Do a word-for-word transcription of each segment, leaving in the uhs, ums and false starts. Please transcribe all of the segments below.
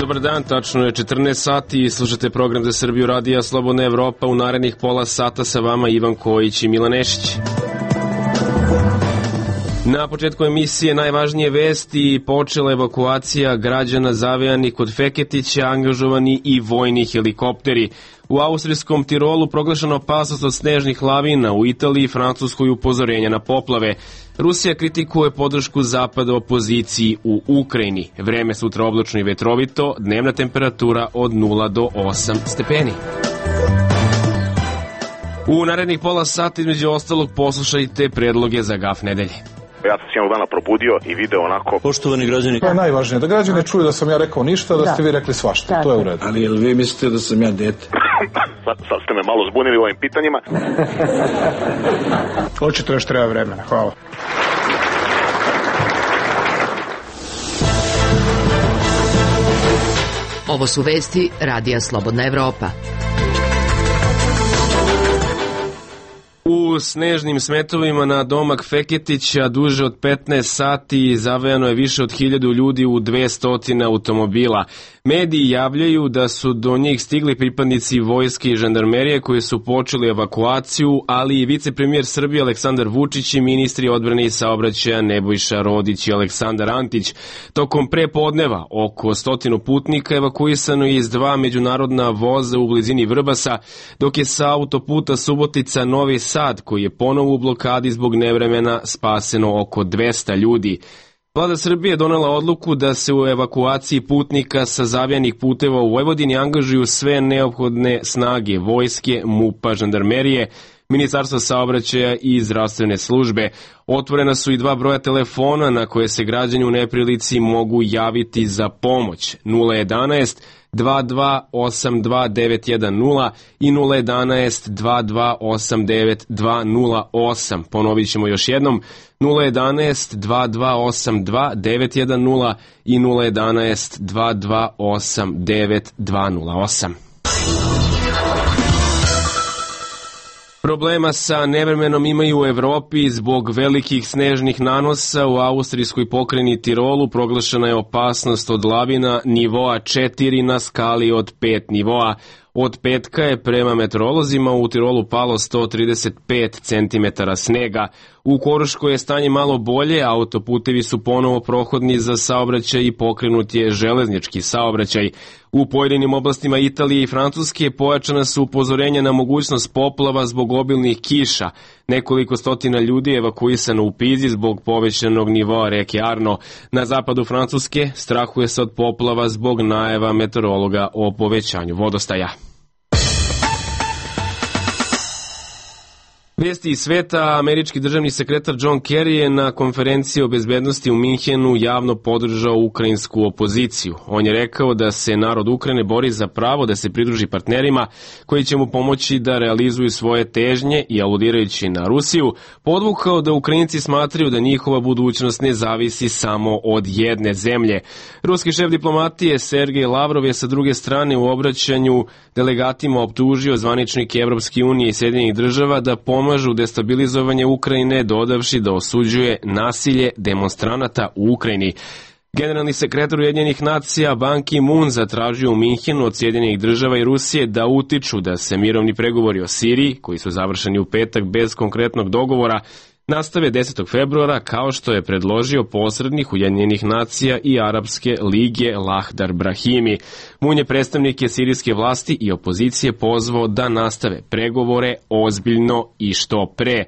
Dobar dan, tačno je četrnaest sati i slušate program za Srbiju radija Slobodna Evropa. U narednih pola sata sa vama Ivan Kojić i Milan Nešić. Na početku emisije najvažnije vesti: počela evakuacija građana zavejanih kod Feketića, angažovani i vojni helikopteri. U austrijskom Tirolu proglašena opasnost od snežnih lavina, u Italiji i Francuskoj upozorenja na poplave. Rusija kritikuje podršku zapada opoziciji u Ukrajini. Vreme sutra oblačno i vetrovito, dnevna temperatura od nula do osam stepeni. U narednih pola sata između ostalog poslušajte predloge za gaf nedelje. Ja sam se jednog dana probudio i video onako. Poštovani građani. To je najvažnije, da građani čuju da sam ja rekao ništa, da, da ste vi rekli svašta, da, to je u redu. Ali jel vi mislite da sam ja dete? sad, sad ste me malo zbunili u ovim pitanjima. Očito još treba vremena, hvala. Ovo su vesti Radija Slobodna Evropa. U snežnim smetovima na domak Feketića duže od petnaest sati zavejano je više od hiljadu ljudi u dvesta automobila. Mediji javljaju da su do njih stigli pripadnici vojske i žandarmerije koji su počeli evakuaciju, ali i vicepremijer Srbije Aleksandar Vučić i ministri odbrane i saobraćaja Nebojša Rodić i Aleksandar Antić. Tokom prepodneva oko stotinu putnika evakuisano je iz dva međunarodna voza u blizini Vrbasa, dok je sa autoputa Subotica Novi Sad, koji je ponovo u blokadi zbog nevremena, spaseno oko dvesta ljudi. Vlada Srbije donela odluku da se u evakuaciji putnika sa zavijanih puteva u Vojvodini angažuju sve neophodne snage vojske, MUP-a, žandarmerije, Ministarstva saobraćaja i zdravstvene službe. Otvorena su i dva broja telefona na koje se građani u neprilici mogu javiti za pomoć: nula jedanaest dva dva osam dva devet jedan nula i nula jedanaest dva dva osam devet dva nula osam. Ponovit ćemo još jednom: nula jedanaest dva dva osam dva devet jedan nula i nula jedanaest dva dva osam devet dva nula osam. Problema sa nevremenom imaju u Evropi zbog velikih snežnih nanosa. U austrijskoj pokrajini Tirolu proglašena je opasnost od lavina nivoa četiri na skali od pet nivoa. Od petka je prema meteorolozima u Tirolu palo sto trideset pet centimetara snega. U Koruškoj je stanje malo bolje, autoputevi su ponovo prohodni za saobraćaj i pokrenut je železnički saobraćaj. U pojedinim oblastima Italije i Francuske pojačana su upozorenja na mogućnost poplava zbog obilnih kiša. Nekoliko stotina ljudi je evakuisano u Pizi zbog povećanog nivoa reke Arno. Na zapadu Francuske strahuje se od poplava zbog najava meteorologa o povećanju vodostaja. Vesti iz sveta: američki državni sekretar John Kerry je na konferenciji o bezbednosti u Minhenu javno podržao ukrajinsku opoziciju. On je rekao da se narod Ukrajine bori za pravo da se pridruži partnerima koji će mu pomoći da realizuju svoje težnje i, aludirajući na Rusiju, podvukao da Ukrajinci smatraju da njihova budućnost ne zavisi samo od jedne zemlje. Ruski šef diplomatije Sergej Lavrov je sa druge strane u obraćanju delegatima optužio zvaničnike Evropske unije i Sjedinjenih država da pomoći pomažu destabilizovanje Ukrajine, dodavši da osuđuje nasilje demonstranata u Ukrajini. Generalni sekretar Ujedinjenih nacija Ban Ki-moon zatražio u Minhenu od Sjedinjenih država i Rusije da utiču da se mirovni pregovori o Siriji, koji su završeni u petak bez konkretnog dogovora, nastave desetog februara, kao što je predložio posrednik Ujedinjenih nacija i Arapske lige Lahdar Brahimi. Moon je predstavnike sirijske vlasti i opozicije pozvao da nastave pregovore ozbiljno i što pre.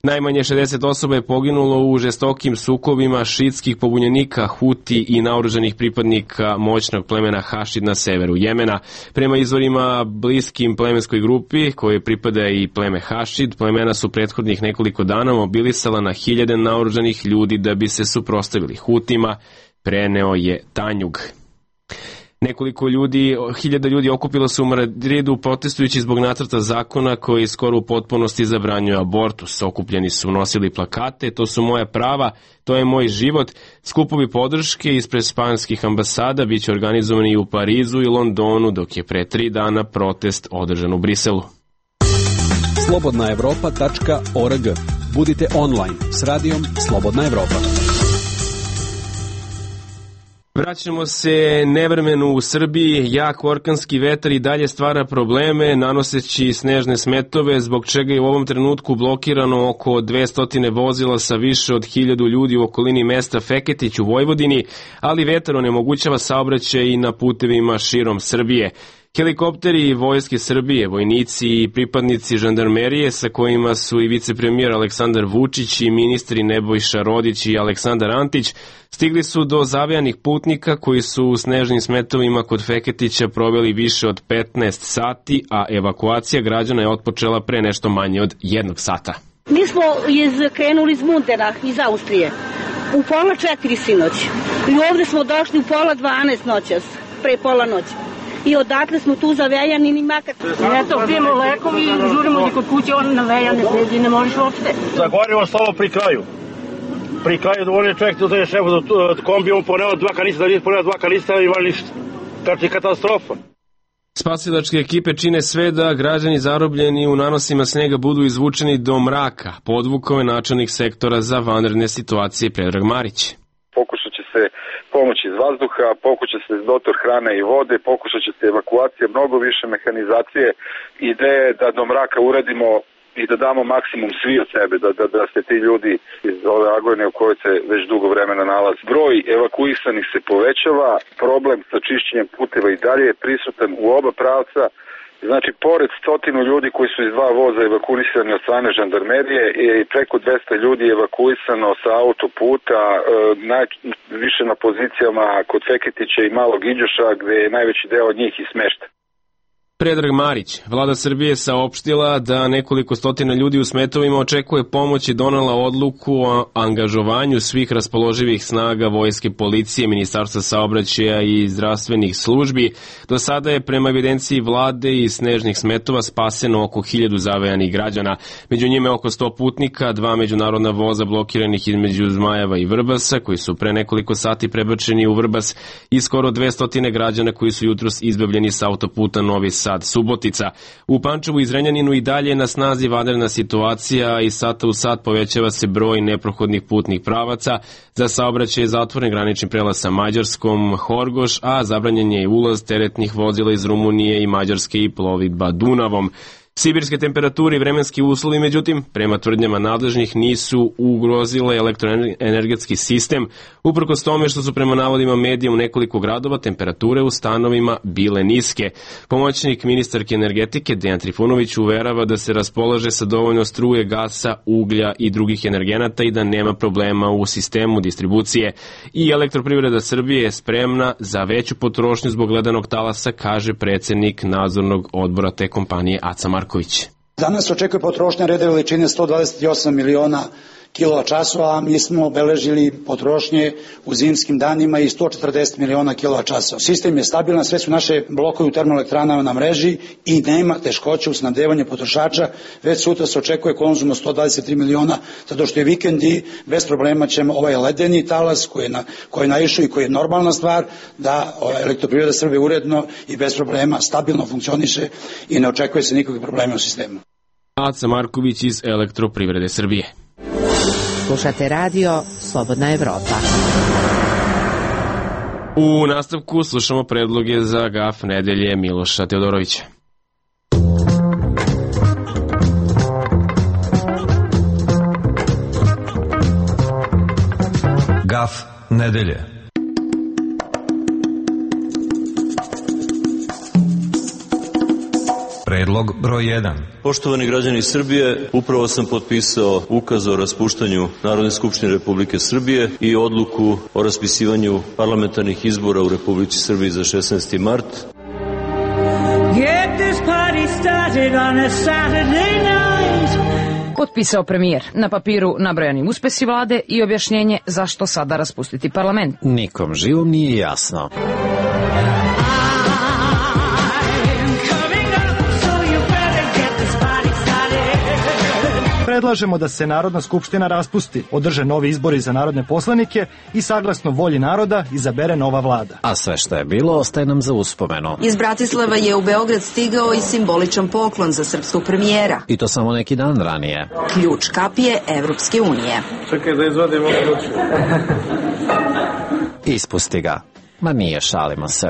Najmanje šezdeset osoba je poginulo u žestokim sukobima šiitskih pobunjenika Huti i naoružanih pripadnika moćnog plemena Hašid na severu Jemena. Prema izvorima bliskim plemenskoj grupi, koje pripada i pleme Hašid, plemena su prethodnih nekoliko dana mobilisala na hiljade naoružanih ljudi da bi se suprotstavili Hutima, preneo je Tanjug. Nekoliko ljudi, hiljada ljudi okupilo se u Madridu protestujući zbog nacrta zakona koji skoro u potpunosti zabranjuje abortus. Okupljeni su nosili plakate: to su moja prava, to je moj život. Skupovi podrške ispred španskih ambasada biće organizovani i u Parizu i Londonu, dok je pre tri dana protest održan u Briselu. slobodna evropa tačka org. Budite online s radijom Slobodna Evropa. Vraćamo se nevremenu u Srbiji. Jak orkanski vetar i dalje stvara probleme, nanoseći snežne smetove, zbog čega je u ovom trenutku blokirano oko dvesta vozila sa više od hiljadu ljudi u okolini mesta Feketić u Vojvodini, ali vetar onemogućava saobraćaj i na putevima širom Srbije. Helikopteri Vojske Srbije, vojnici i pripadnici žandarmerije sa kojima su i vicepremijer Aleksandar Vučić i ministri Nebojša Rodić i Aleksandar Antić stigli su do zavejanih putnika koji su u snežnim smetovima kod Feketića proveli više od petnaest sati, a evakuacija građana je otpočela pre nešto manje od jednog sata. Mi smo iz, krenuli iz Mundena, iz Austrije, u pola četiri sinoć i ovde smo došli u pola dvanaest noćas, pre pola noći. I odatle smo tu zavejani, ni makar. Eto, pijemo lekovi i žurimo ti kod kuće, on navejane sedi, ne možeš uopšte. Zagorimo stalo pri kraju. Pri kraju dovoljno čovjek da je šef do kombijom poneo dva kanistra, da nije poneo dva kanistra i imali ništa. Znači katastrofa. Spasilačke ekipe čine sve da građani zarobljeni u nanosima snega budu izvučeni do mraka, podvukao je načelnik sektora za vanredne situacije Predrag Marić. Pokušat će se pomoć iz vazduha, pokušat će se dotor hrane i vode, pokušat će se evakuacija, mnogo više mehanizacije. Ideja je da do mraka uradimo i da damo maksimum svi od sebe, da, da, da se ti ljudi iz ove agonije u kojoj se već dugo vremena nalaze. Broj evakuisanih se povećava, problem sa čišćenjem puteva i dalje je prisutan u oba pravca. Znači, pored stotinu ljudi koji su iz dva voza evakuisani od strane žandarmerije i preko dvesta ljudi je evakuisano sa autoputa, više na pozicijama kod Feketića i Malog Iđoša, gde je najveći deo od njih i smešten. Predrag Marić, vlada Srbije saopštila da nekoliko stotina ljudi u smetovima očekuje pomoć i donela odluku o angažovanju svih raspoloživih snaga vojske, policije, ministarstva saobraćaja i zdravstvenih službi. Do sada je prema evidenciji vlade i snežnih smetova spaseno oko hiljadu zavejanih građana. Među njime oko sto putnika, dva međunarodna voza blokiranih između Zmajeva i Vrbasa, koji su pre nekoliko sati prebačeni u Vrbas, i skoro dvesta građana koji su jutros izbavljeni sa autoputa Novi Sad Subotica. U Pančevu i Zrenjaninu i dalje na snazi vanredna situacija i sata u sat povećava se broj neprohodnih putnih pravaca. Za saobraćaj je zatvoren granični prelaz sa Mađarskom Horgoš, a zabranjen je i ulaz teretnih vozila iz Rumunije i Mađarske i plovidba Dunavom. Sibirske temperature i vremenski uslovi, međutim, prema tvrdnjama nadležnih, nisu ugrozile elektroenergetski sistem, uprkos tome što su prema navodima medija u nekoliko gradova temperature u stanovima bile niske. Pomoćnik ministarke energetike Dejan Trifunović uverava da se raspolaže sa dovoljno struje, gasa, uglja i drugih energenata i da nema problema u sistemu distribucije. I Elektroprivreda Srbije je spremna za veću potrošnju zbog ledenog talasa, kaže predsednik nadzornog odbora te kompanije Aca Marković. Danas očekuje potrošnja reda veličine sto dvadeset osam miliona kilovat časova, a mi smo obeležili potrošnje u zimskim danima i sto četrdeset miliona kilovat časova. Sistem je stabilan, sve su naše blokovi u termoelektranama na mreži i nema teškoće u snabdevanju potrošača. Već sutra se očekuje konzum od sto dvadeset tri miliona, zato što je vikend i bez problema ćemo ovaj ledeni talas koji je, na, koji je naišao i koji je normalna stvar, da Elektroprivreda Srbije uredno i bez problema stabilno funkcioniše i ne očekuje se nikakvih problema u sistemu. Aca Marković iz Elektroprivrede Srbije. Slušate radio Slobodna Evropa. U nastavku slušamo predloge za gaf nedelje Miloša Teodorovića. Gaf nedelje. Predlog broj jedan. Poštovani građani Srbije, upravo sam potpisao ukaz o raspuštanju Narodne skupštine Republike Srbije i odluku o raspisivanju parlamentarnih izbora u Republici Srbiji za šesnaesti mart. Potpisao premijer. Na papiru nabrojanim uspesi vlade i objašnjenje zašto sada raspustiti parlament. Nikom živom nije jasno. Predlažemo da se Narodna skupština raspusti, održe novi izbori za narodne poslanike i saglasno volji naroda izabere nova vlada. A sve što je bilo ostaje nam za uspomenu. Iz Bratislava je u Beograd stigao i simboličan poklon za srpskog premijera. I to samo neki dan ranije. Ključ kapije Evropske unije. Čekaj da izvadimo ključ. Ispusti ga. Ma nije, šalimo se.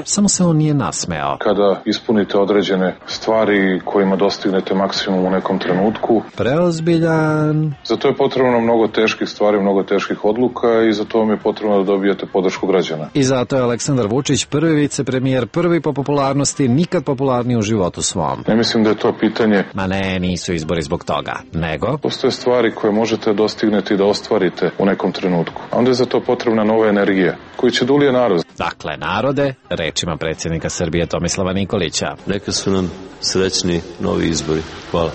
Samo se on nije nasmejao. Kada ispunite određene stvari kojima dostignete maksimum u nekom trenutku. Preozbiljan. Za to je potrebno mnogo teških stvari, mnogo teških odluka i za to vam je potrebno da dobijete podršku građana. I zato je Aleksandar Vučić prvi vicepremijer, prvi po popularnosti, nikad popularniji u životu svom. Ne mislim da je to pitanje. Ma ne, nisu izbori zbog toga, nego... Postoje stvari koje možete dostigneti da ostvarite u nekom trenutku. A onda je za to potrebna nova energija, koju će dulije narod. Dakle, narode, rečima predsjednika Srbije Tomislava Nikolića. Neka su nam srećni novi izbori. Hvala.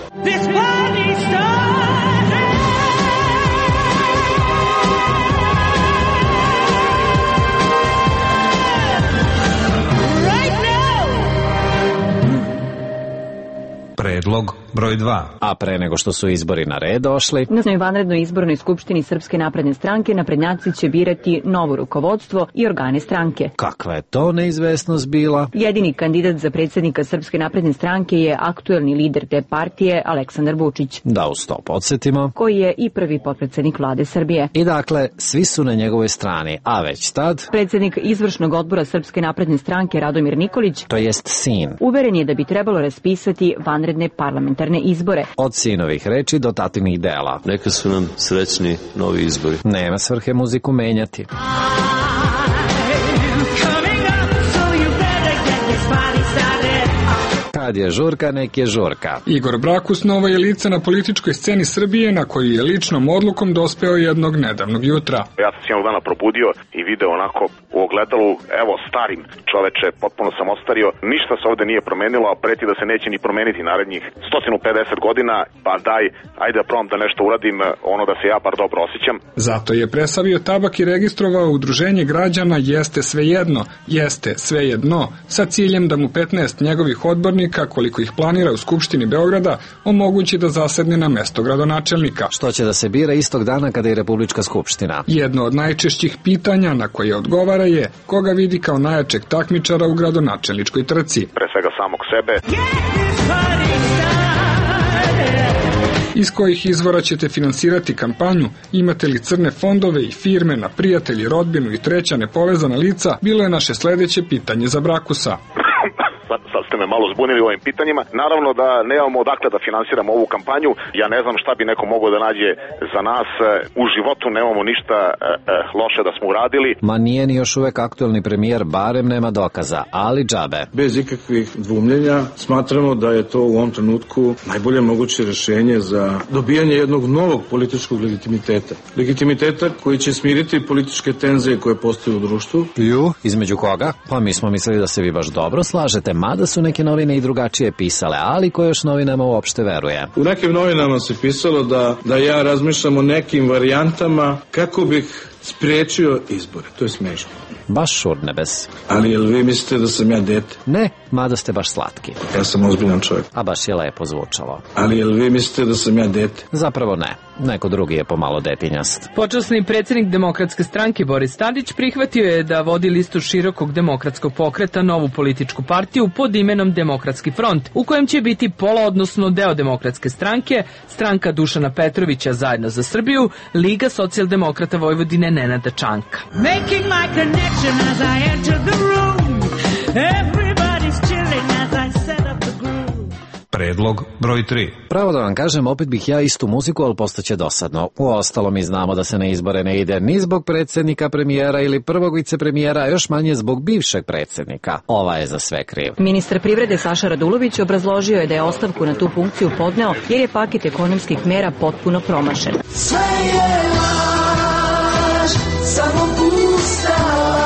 Predlog broj dva. A pre nego što su izbori na red došli... Na vanrednoj izbornoj skupštini Srpske napredne stranke naprednjaci će birati novo rukovodstvo i organe stranke. Kakva je to neizvesnost bila? Jedini kandidat za predsjednika Srpske napredne stranke je aktuelni lider te partije Aleksandar Vučić. Da uz to podsjetimo. Koji je i prvi potpredsjednik vlade Srbije. I dakle, svi su na njegovoj strani, a već tad... Predsjednik izvršnog odbora Srpske napredne stranke Radomir Nikolić, to jest sin, uveren je da bi trebalo raspisati vanredne parlamentarne izbore. Od sinovih reči do tatinih dela. Neka su nam srećni novi izbori. Nema svrhe muziku menjati. Kad je žurka, nek je žurka. Igor Brakus novo je lice na političkoj sceni Srbije na koju je ličnom odlukom dospeo jednog nedavnog jutra. Ja sam se jednog dana probudio i video onako u ogledalu, evo starim čoveče, potpuno sam ostario, ništa se ovde nije promenilo, a preti da se neće ni promeniti narednih sto pedeset godina, pa daj, ajde da probam da nešto uradim, ono da se ja bar dobro osjećam. Zato je presavio tabak i registrovao udruženje građana Jeste svejedno, Jeste svejedno, sa ciljem da mu petnaest njegovih odbornika, koliko ih planira u Skupštini Beograda, omogući da zasedne na mesto gradonačelnika. Što će da se bira istog dana kada je Republička skupština. Jedno od najčešćih pitanja na koje odgovara je koga vidi kao najjačeg takmičara u gradonačelničkoj trci. Pre svega samog sebe. Iz kojih izvora ćete finansirati kampanju, imate li crne fondove i firme na prijatelji, rodbinu i treća nepovezana lica, bilo je naše sledeće pitanje za Brakusa. Sad, sad ste me malo zbunili ovim pitanjima. Naravno da nemamo odakle da finansiramo ovu kampanju. Ja ne znam šta bi neko mogao da nađe za nas. U životu nemamo ništa e, e, loše da smo uradili. Ma nije ni još uvek aktuelni premijer, barem nema dokaza, ali džabe. Bez ikakvih dvumljenja smatramo da je to u ovom trenutku najbolje moguće rešenje za dobijanje jednog novog političkog legitimiteta. Legitimiteta koji će smiriti političke tenzije koje postoje u društvu. Ju, između koga? Pa mi smo mislili da se vi baš dobro slažete, mada su neke novine i drugačije pisale, ali ko još novinama uopšte veruje? U nekim novinama se pisalo da, da ja razmišljam o nekim varijantama kako bih spriječio izbore. To je smešno. Baš šurnebes. Ali jel vi mislite da sam ja dete? Ne, mada ste baš slatki. Ja sam ozbiljan čovjek. A baš je lepo zvučalo. Ali jel vi mislite da sam ja dete? Zapravo ne. Neko drugi je pomalo detinjast. Počasni predsjednik Demokratske stranke Boris Tadić prihvatio je da vodi listu širokog demokratskog pokreta, novu političku partiju pod imenom Demokratski front, u kojem će biti pola, odnosno deo Demokratske stranke, stranka Dušana Petrovića Zajedno za Srbiju, Liga socijaldemokrata Vojvodine Nenada Čanka. Making my connection as I enter the room. Everybody's chilling as I set up the groove. Predlog broj tri. Pravo da vam kažem, opet bih ja istu muziku, ali postaće dosadno. Uostalo mi znamo da se na izbore ne ide ni zbog predsjednika, premijera ili prvog vicepremijera, a još manje zbog bivšeg predsjednika. Ova je za sve kriv. Ministar privrede Saša Radulović obrazložio je da je ostavku na tu funkciju podneo jer je paket ekonomskih mera potpuno promašen. Sve je laž, samo pusta laž.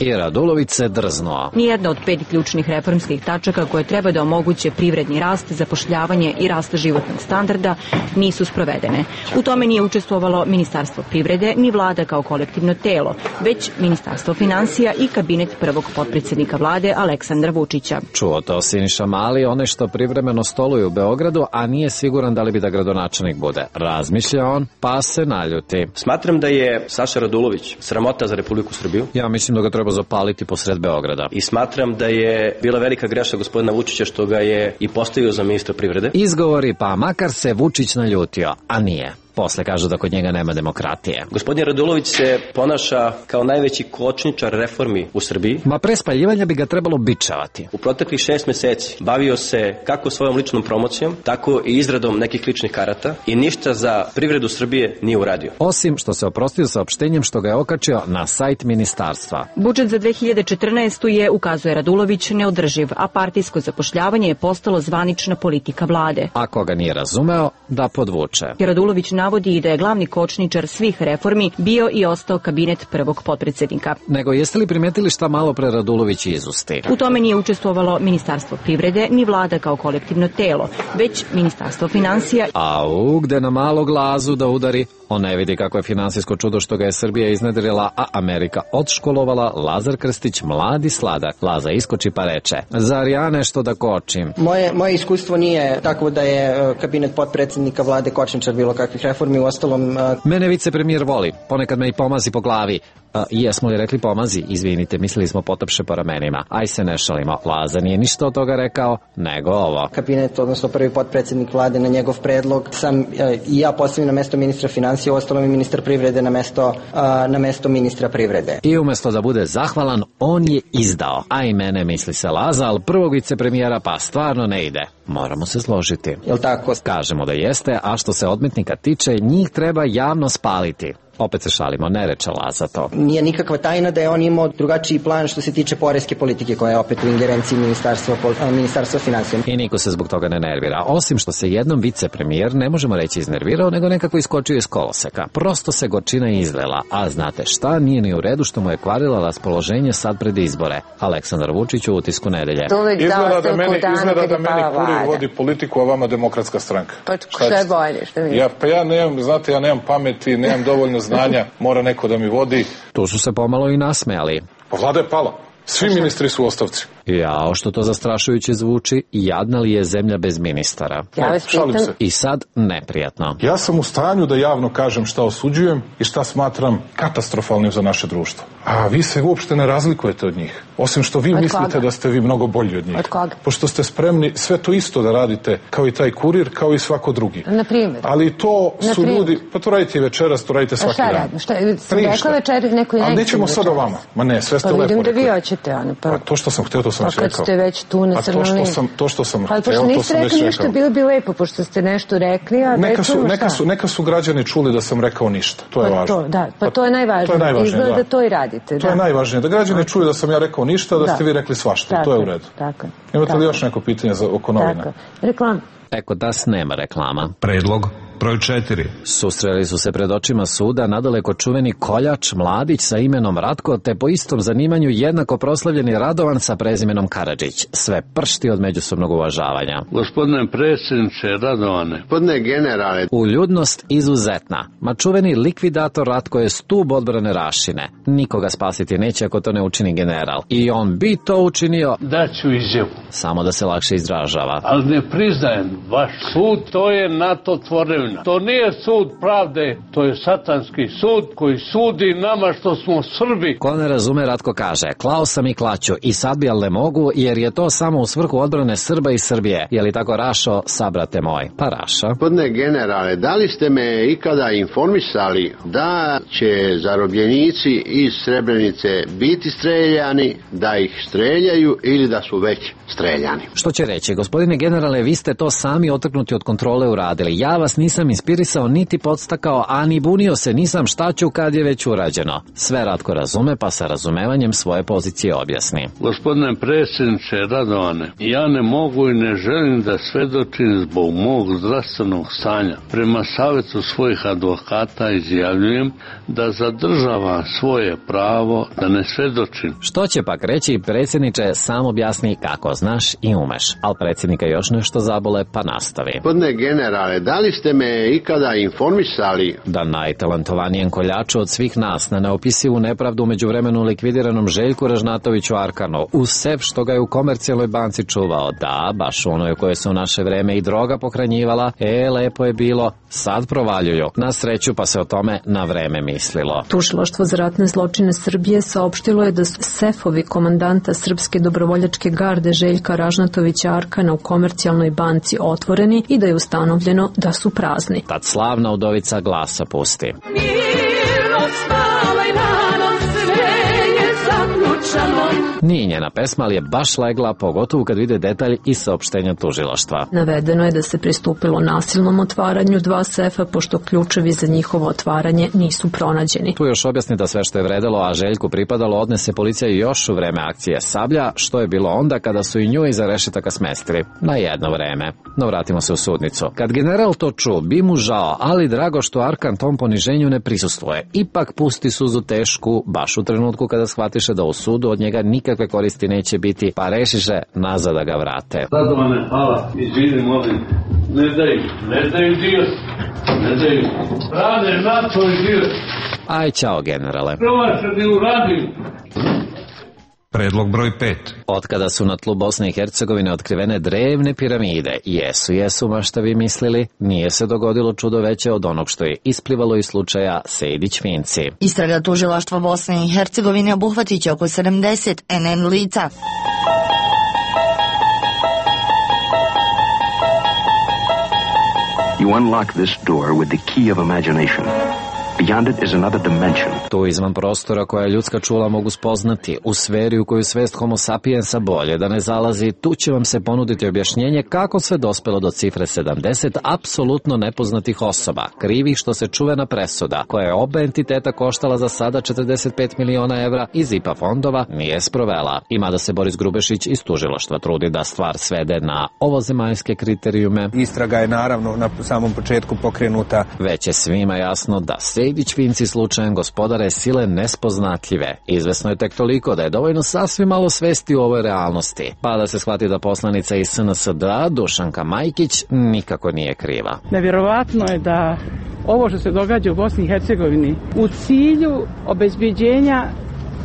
I Radulović se drznuo. Nijedna od pet ključnih reformskih tačaka koje treba da omoguće privredni rast, zapošljavanje i rast životnog standarda nisu sprovedene. U tome nije učestvovalo Ministarstvo privrede ni vlada kao kolektivno telo, već Ministarstvo finansija i kabinet prvog potpredsjednika vlade Aleksandra Vučića. Čuo to Siniša Mali, one što privremeno stoluje u Beogradu, a nije siguran da li bi da gradonačelnik bude. Razmišlja on, pa se naljuti. Smatram da je Saša Radulović sramota za Republiku Srbiju. Ja mislim da ga treba zapaliti posred Beograda. I smatram da je bila velika greška gospodina Vučića što ga je i postavio za ministra privrede. Izgovori, pa makar se Vučić naljutio, a nije. Posle kažu da kod njega nema demokratije. Gospodin Radulović se ponaša kao najveći kočničar reformi u Srbiji. Ma pre spaljivanja bi ga trebalo bičavati. U proteklih šest meseci bavio se kako svojom ličnom promocijom, tako i izradom nekih ličnih karata i ništa za privredu Srbije nije uradio. Osim što se oprostio saopštenjem što ga je okačio na sajt ministarstva. Budžet za dve hiljade četrnaestu. je, ukazuje Radulović, neodrživ, a partijsko zapošljavanje je postalo zvanična politika vlade. A koga nije razumeo, da podvuče. Radulović navodi i da je glavni kočničar svih reformi bio i ostao kabinet prvog potpredsednika. Nego jeste li primetili šta malo pre Radulović izusti? U tome nije učestvovalo Ministarstvo privrede ni vlada kao kolektivno telo, već Ministarstvo finansija. A u gde na malo glazu da udari, on ne vidi kako je finansijsko čudo što ga je Srbija iznedrila, a Amerika odškolovala. Lazar Krstić, mladi sladak. Laza iskoči pa reče, zar ja nešto da kočim? Moje, moje iskustvo nije tako da je kabinet potpredsjednika vlade kočničar bilo kakvih reformi, u ostalom... Mene vicepremijer voli, ponekad me i pomazi po glavi. A, jesmo li rekli pomazi? Izvinite, mislili smo potapše po ramenima. Aj se ne šalimo, Laza nije ništa od toga rekao, nego ovo. Kabinet, odnosno prvi potpredsjednik vlade na njegov predlog, sam i ja postavim na mesto ministra finansija, ostalo mi ministar privrede na mesto, na mesto ministra privrede. I umesto da bude zahvalan, on je izdao. A i mene, misli se Laza, ali prvog vicepremijera pa stvarno ne ide. Moramo se složiti. Jel tako? Kažemo da jeste, a što se odmetnika tiče, njih treba javno spaliti. Opet se šalimo, ne reče Laza to. Nije nikakva tajna da je on imao drugačiji plan što se tiče poreske politike koja je opet u ingerenciji ministarstva, ministarstva finansija. I niko se zbog toga ne nervira. Osim što se jednom vicepremijer, ne možemo reći iznervirao, nego nekako iskočio iz koloseka. Prosto se gorčina izlela. A znate šta, nije ni u redu što mu je kvarila raspoloženje sad pred izbore. Aleksandar Vučić u Utisku nedelje. Izgleda da meni, izgleda da meni Kurir vodi politiku, a vama Demokratska stranka. Pa što je bolje? Što mi? Ja, pa ja nemam, znate, ja nemam pameti, nemam dovoljno znanja, mora neko da mi vodi. Tu su se pomalo i nasmejali. Pa vlada je pala. Svi ministri su u ostavci. Jao, što to zastrašujuće zvuči, jadna li je zemlja bez ministara? Ja vas pitam... I sad neprijatno. Ja sam u stanju da javno kažem šta osuđujem i šta smatram katastrofalnim za naše društvo. A vi se uopšte ne razlikujete od njih. Osim što vi od mislite koga? Da ste vi mnogo bolji od njih. Od koga? Pošto ste spremni sve to isto da radite kao i taj Kurir, kao i svako drugi. Na primjer? Ali to Na su primjer? ljudi, pa to radite i večeras, to radite svaki šta dan. radim? Šta radim? Sam rekla večeri neko i Ali nećemo sad o vama. Ma ne, sve ste pa lepo vidim da rekli. vi hoćete, Ana. Pa... Pa to što sam hteo, to sam pa već rekao. Pa kad ste već tu na crnoj liniji. A to što sam, to što sam pa, hteo, to sam već rekli ništa, rekao. bilo bi lepo, pošto ste nešto rekli, a neka su, čujemo neka, su, neka su građani čuli da sam rekao ništa. To je pa važno. To, da, pa to je najvažnije. To je najvažnije, Izgleda da. da to i radite. To da. je najvažnije. Da građani čuju da sam ja rekao ništa, da, da. ste vi rekli svašta. Tako, to je u redu. Tako, Imate tako. li još neko pitanje za, oko novina? Tako. Reklam. Eko das nema reklama. Predlog broj četiri. Susreli su se pred očima suda nadaleko čuveni koljač Mladić sa imenom Ratko, te po istom zanimanju jednako proslavljeni Radovan sa prezimenom Karadžić. Sve pršti od međusobnog uvažavanja. Gospodine predsjedniče Radovane. Gospodine generale. Uljudnost izuzetna. Ma čuveni likvidator Ratko je stub odbrane Rašine. Nikoga spasiti neće ako to ne učini general. I on bi to učinio. Daću izjavu. Samo da se lakše izražava. Ali ne priznajem vaš sud, to je NATO tvorevina. To nije sud pravde, to je satanski sud koji sudi nama što smo Srbi. Ko ne razume, Ratko kaže, klao sam i klaću i sad bi, ali ne mogu, jer je to samo u svrhu odbrane Srba i Srbije. Je li tako, Rašo, sabrate moj? Pa Raša. Gospodine generale, da li ste me ikada informisali da će zarobljenici iz Srebrenice biti streljani, da ih streljaju ili da su već streljani? Što će reći, gospodine generale, vi ste to sami otrgnuti od kontrole uradili. Ja vas nisam inspirisao, niti podstakao, a ni bunio se nisam šta ću kad je već urađeno. Sve Ratko razume, pa sa razumevanjem svoje pozicije objasni. Gospodine predsjedniče Radovane, ja ne mogu i ne želim da svedočim zbog mog zdravstvenog stanja. Prema savjetu svojih advokata izjavljujem da zadržavam svoje pravo da ne svedočim. Što će pak reći, predsjedniče, sam objasni kako znaš i umeš. Al predsjednika još nešto zabole, pa nastavi. Gospodine generale, da li ste me ikada informisali da najtalentovanijem koljaču od svih nas na neopisivu nepravdu među vremenu likvidiranom Željku Ražnatoviću Arkanu uz sef što ga je u Komercijalnoj banci čuvao, da, baš onoj u kojoj se u naše vreme i droga pohranjivala, e, lepo je bilo, sad provaljuju. Na sreću pa se o tome na vreme mislilo. Tužilaštvo za ratne zločine Srbije saopštilo je da su sefovi komandanta Srpske dobrovoljačke garde Željka Ražnatovića Arkana u Komercijalnoj banci otvoreni i da je ustanovljeno da su prazni. kazni. Tad slavna udovica glasa pusti. Nije njena pesma, ali je baš legla, pogotovo kad vide detalj iz saopštenja tužilaštva. Navedeno je da se pristupilo nasilnom otvaranju dva sefa, pošto ključevi za njihovo otvaranje nisu pronađeni. Tu još objasni da sve što je vredelo, a Željku pripadalo, odnese policija još u vreme akcije Sablja, što je bilo onda kada su i nju iza rešetaka smestili. Na jedno vreme. No vratimo se u sudnicu. Kad general to ču, bi mu žao, ali drago što Arkan tom poniženju ne prisustvuje. Ipak pusti suzu tešku, baš u trenutku kada shvatiše da u sudu od njega nikakve koristi neće biti, pa rešiše nazad da ga vrate. Radovane, hvala, izvini, molim, ne daju, ne daju dio, ne daju, rade na tvoj dio. Aj, čao, generale. Promaš da ne uradim. Predlog broj pet. Otkada su na tlu Bosne i Hercegovine otkrivene drevne piramide, jesu, jesu, ma šta vi mislili, nije se dogodilo čudo veće od onog što je isplivalo iz slučaja Sejdić-Finci. Istraga tužilaštva Bosne i Hercegovine obuhvatit će oko sedamdeset en en lica. You unlock this door with the key of imagination. Beyond it is another dimension. Tu izvan prostora koja ljudska čula mogu spoznati, u sferi u koju svest homo sapiensa bolje da ne zalazi, tu će vam se ponuditi objašnjenje kako sve dospelo do cifre sedamdeset apsolutno nepoznatih osoba, krivih što se čuvena presuda, koja je oba entiteta koštala za sada četrdeset pet miliona evra iz I P A fondova, nije sprovela. Ima da se Boris Grubešić iz tužilaštva trudi da stvar svede na ovozemaljske kriterijume. Istraga je naravno na samom početku pokrenuta. Već je svima jasno da se Sejdić-Finci slučajem gospodare sile nespoznatljive. Izvesno je tek toliko da je dovoljno sasvim malo svesti u ovoj realnosti. Pa da se shvati da poslanica iz S N S D A, Dušanka Majkić, nikako nije kriva. Nevjerovatno je da ovo što se događa u Bosni i Hercegovini u cilju obezbeđenja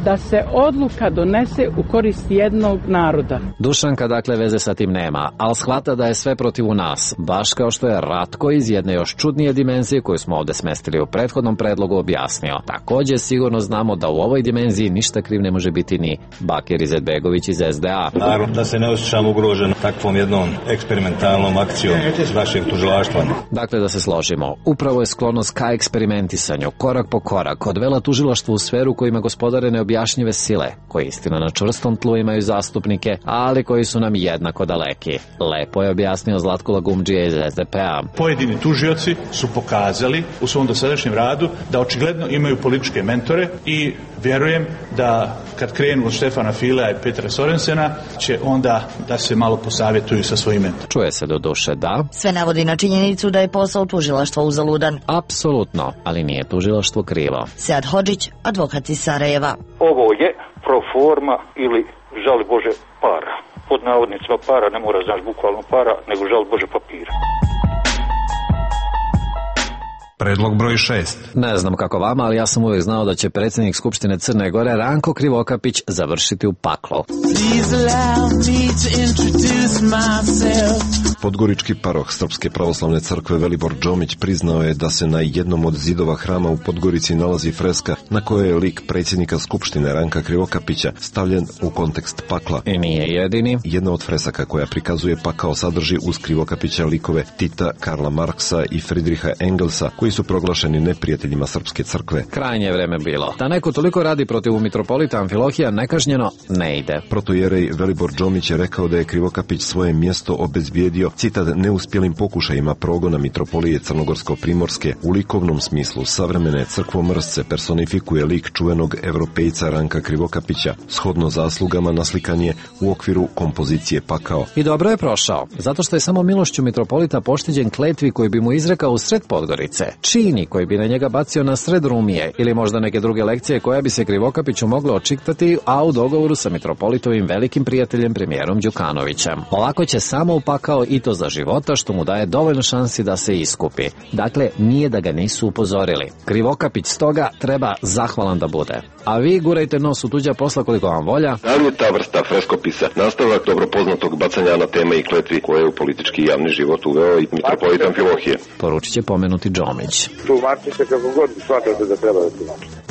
da se odluka donese u korist jednog naroda. Dušanka dakle veze sa tim nema, ali shvata da je sve protiv nas, baš kao što je Ratko iz jedne još čudnije dimenzije koju smo ovde smestili u prethodnom predlogu objasnio. Takođe sigurno znamo da u ovoj dimenziji ništa kriv ne može biti ni Bakir Izetbegović iz S D A. Naravno da se ne osjećam ugrožen takvom jednom eksperimentalnom akcijom vašeg tužilaštva. Dakle, da se složimo, upravo je sklonost ka eksperimentisanju, korak po korak, odvela tužilaštvo u sferu kojima gospodare neobjašnjive objašnjive sile, koji istina na čvrstom tlu imaju zastupnike, ali koji su nam jednako daleki. Lepo je objasnio Zlatko Lagumdžija iz S D P A. Pojedini tužioci su pokazali u svom dosadašnjem radu da očigledno imaju političke mentore i vjerujem da kad krenu od Štefana Filea i Petra Sorensena će onda da se malo posavjetuju sa svojim mentorima. Čuje se do duše da... Sve navodi na činjenicu da je posao tužilaštva uzaludan. Apsolutno, ali nije tužilaštvo krivo. Sead Hodžić, advokat iz Sarajeva. Ovo je pro forma ili žali Bože para. Pod navodnicima para, ne mora znaš bukvalno para, nego žali Bože papira. Predlog broj šest. Ne znam kako vama, ali ja sam uvijek znao da će predsjednik Skupštine Crne Gore Ranko Krivokapić završiti u paklu. Podgorički paroh Srpske pravoslavne crkve Velibor Džomić priznao je da se na jednom od zidova hrama u Podgorici nalazi freska na kojoj je lik predsjednika Skupštine Ranka Krivokapića stavljen u kontekst pakla. I nije jedini. Jedna od fresaka koja prikazuje pakao sadrži uz Krivokapića likove Tita, Karla Marksa i Friedricha Engelsa, koji su proglašeni neprijateljima Srpske crkve. Krajnje vreme bilo. Da neko toliko radi protiv mitropolita Amfilohija nekažnjeno ne ide. Protojerej Velibor Džomić je rekao da je Krivokapić svoje mjesto obezbijedio, citat, neuspjelim pokušajima progona mitropolije Crnogorsko-Primorske. U likovnom smislu savremene crkvomrsce personifikuje lik čuvenog evropejca Ranka Krivokapića, shodno zaslugama naslikan je u okviru kompozicije pakao. I dobro je prošao, zato što je samo milošću mitropolita pošteđen kletvi koji bi mu izrekao u sred Podgorice, čini koji bi na njega bacio na sred Rumije ili možda neke druge lekcije koja bi se Krivokapiću moglo očiktati, a u dogovoru sa mitropolitovim velikim prijateljem premijerom Đukanovićem. Ovako će samo upakao i to za života, što mu daje dovoljno šansi da se iskupi. Dakle, nije da ga nisu upozorili. Krivokapić stoga treba zahvalan da bude. A vi gurajte nos u tuđa posla koliko vam volja. Da li je ta vrsta freskopisa nastavak dobro poznatog bacanja na teme i kletvi koje je u politički javni život uveo i mitropolit Amfilohije? Poručit će pomenuti Džomić. Tumačite kako god shvatate da treba da tumačite.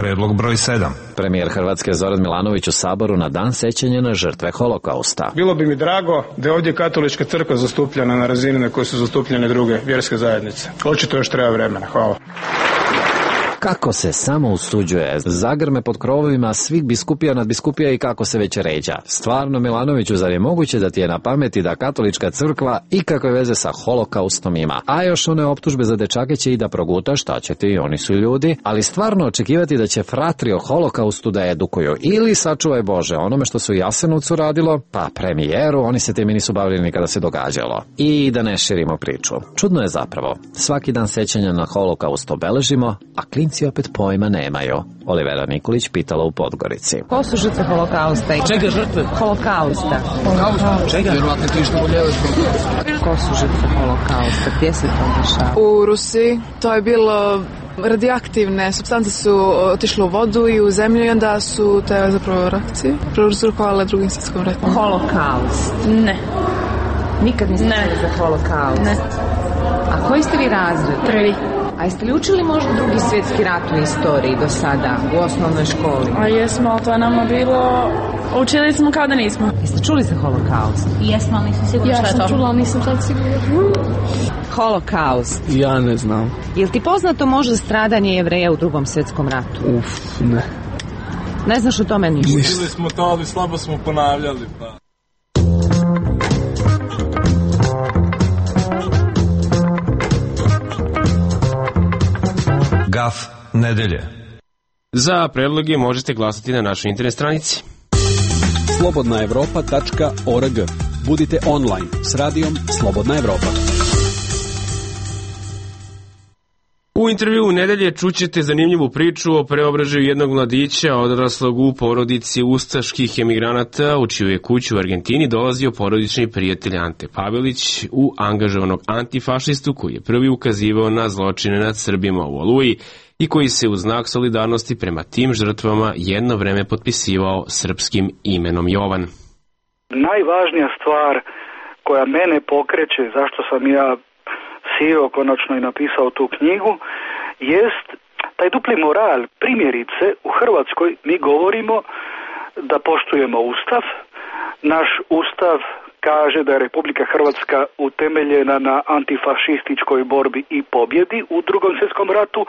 Predlog broj sedam. Premijer Hrvatske Zoran Milanović u Saboru na dan sećanja na žrtve holokausta. Bilo bi mi drago da je ovdje katolička crkva zastupljena na razini na kojoj su zastupljene druge vjerske zajednice. Očito još treba vremena. Hvala. Kako se samo usuđuje, zagrme pod krovovima svih biskupija nadbiskupija i kako se već ređa. Stvarno, Milanoviću, zar je moguće da ti je na pameti da katolička crkva ikakve veze sa holokaustom ima? A još one optužbe za dečake će i da proguta, šta će ti, oni su ljudi, ali stvarno očekivati da će fratri o holokaustu da edukuju ili, sačuvaj Bože, onome što su u Jasenovcu radilo, pa premijeru, oni se temi nisu bavili nikada se događalo. I da ne širimo priču. Čudno je zapravo, svaki dan sećanja na holokaust obeležimo, a klinci opet pojma nemaju. Olivera Nikolić pitala u Podgorici. Ko su žrtve holokausta? Čega žrtve? Holokausta. Holokausta? Čega? Vjerovatno ti što boljevaš holokausta. Ko su žrtve holokausta? Gdje se to dešava? U Rusiji. To je bilo radioaktivne supstance su otišle u vodu i u zemlju i onda su te zapravo reakcije prouzrokovale drugim svjetskom ratom. Holokaust? Ne. Nikad niste čuli za holokaust? Ne. A koji ste vi razred? Prvi. A jeste li učili možda drugi svjetski rat u istoriji do sada, u osnovnoj školi? A jesmo, ali to je nama bilo... Učili smo kao da nismo. Jeste čuli za holokaust? Jesmo, ali nisam sigurna šta je to. Ja sam čula, ali nisam sad sigurna. Holokaust? Ja ne znam. Je li ti poznato možda stradanje Jevreja u drugom svjetskom ratu? Uf, ne. Ne znaš o tome ništa? Učili smo to, ali slabo smo ponavljali, pa... Gaf nedelje. Za predloge možete glasati na našoj internet stranici slobodna evropa tačka org. Budite online s radijom Slobodna Evropa. U intervjuu nedelje čućete zanimljivu priču o preobražaju jednog mladića odraslog u porodici ustaških emigranata, u čiju je kuću u Argentini dolazio porodični prijatelj Ante Pavelić, u angažovanog antifašistu koji je prvi ukazivao na zločine nad Srbima u Oluji i koji se u znak solidarnosti prema tim žrtvama jedno vreme potpisivao srpskim imenom Jovan. Najvažnija stvar koja mene pokreće, zašto sam ja sjeo konačno i napisao tu knjigu, jest taj dupli moral. Primjerice, u Hrvatskoj mi govorimo da poštujemo Ustav. Naš Ustav kaže da je Republika Hrvatska utemeljena na antifašističkoj borbi i pobjedi u drugom svjetskom ratu,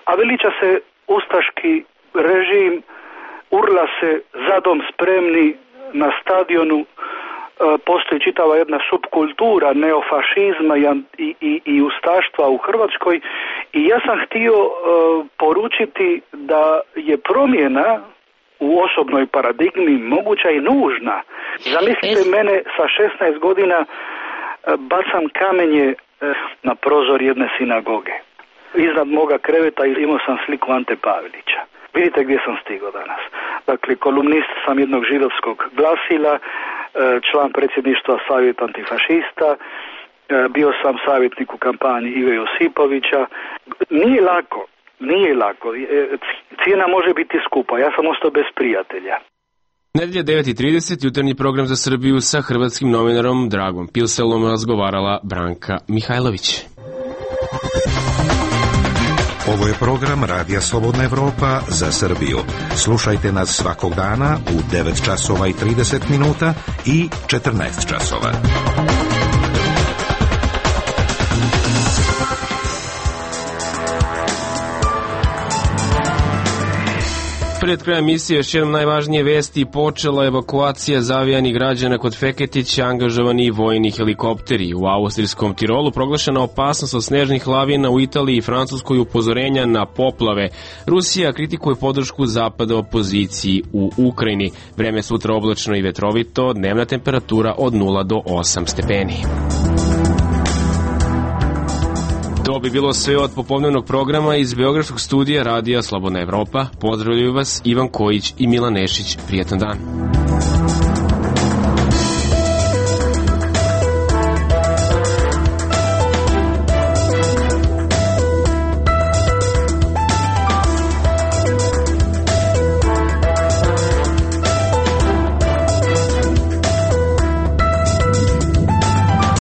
a veliča se ustaški režim, urla se zadom spremni na stadionu. Postoji čitava jedna subkultura neofašizma i, i, i ustaštva u Hrvatskoj i ja sam htio uh, poručiti da je promjena u osobnoj paradigmi moguća i nužna. Zamislite es... mene sa šesnaest godina uh, bacam kamenje uh, na prozor jedne sinagoge. Iznad moga kreveta imao sam sliku Ante Pavelića. Vidite gdje sam stigao danas. Dakle, kolumnist sam jednog židovskog glasila, član predsjedništva Savjeta antifašista, bio sam savjetnik u kampanji Ive Josipovića. Nije lako, nije lako. Cijena može biti skupa. Ja sam ostao bez prijatelja. Nedelja devet i trideset, jutarnji program za Srbiju sa hrvatskim novinarom Dragom Pilselom razgovarala Branka Mihajlović. Ovo je program Radija Slobodna Evropa za Srbiju. Slušajte nas svakog dana u devet časova i trideset minuta i četrnaest časova. Pred krajem emisije još jednom najvažnije vesti. Počela evakuacija zavijanih građana kod Feketića, angažovani vojni helikopteri. U austrijskom Tirolu proglašena opasnost od snežnih lavina, u Italiji i Francuskoj upozorenja na poplave. Rusija kritikuje podršku zapada opoziciji u Ukrajini. Vreme sutra oblačno i vetrovito, dnevna temperatura od nula do osam stepeni. To bi bilo sve od popodnevnog programa iz Beogradskog studija Radija Slobodna Evropa. Pozdravljaju vas Ivan Kojić i Milan Nešić. Prijetan dan.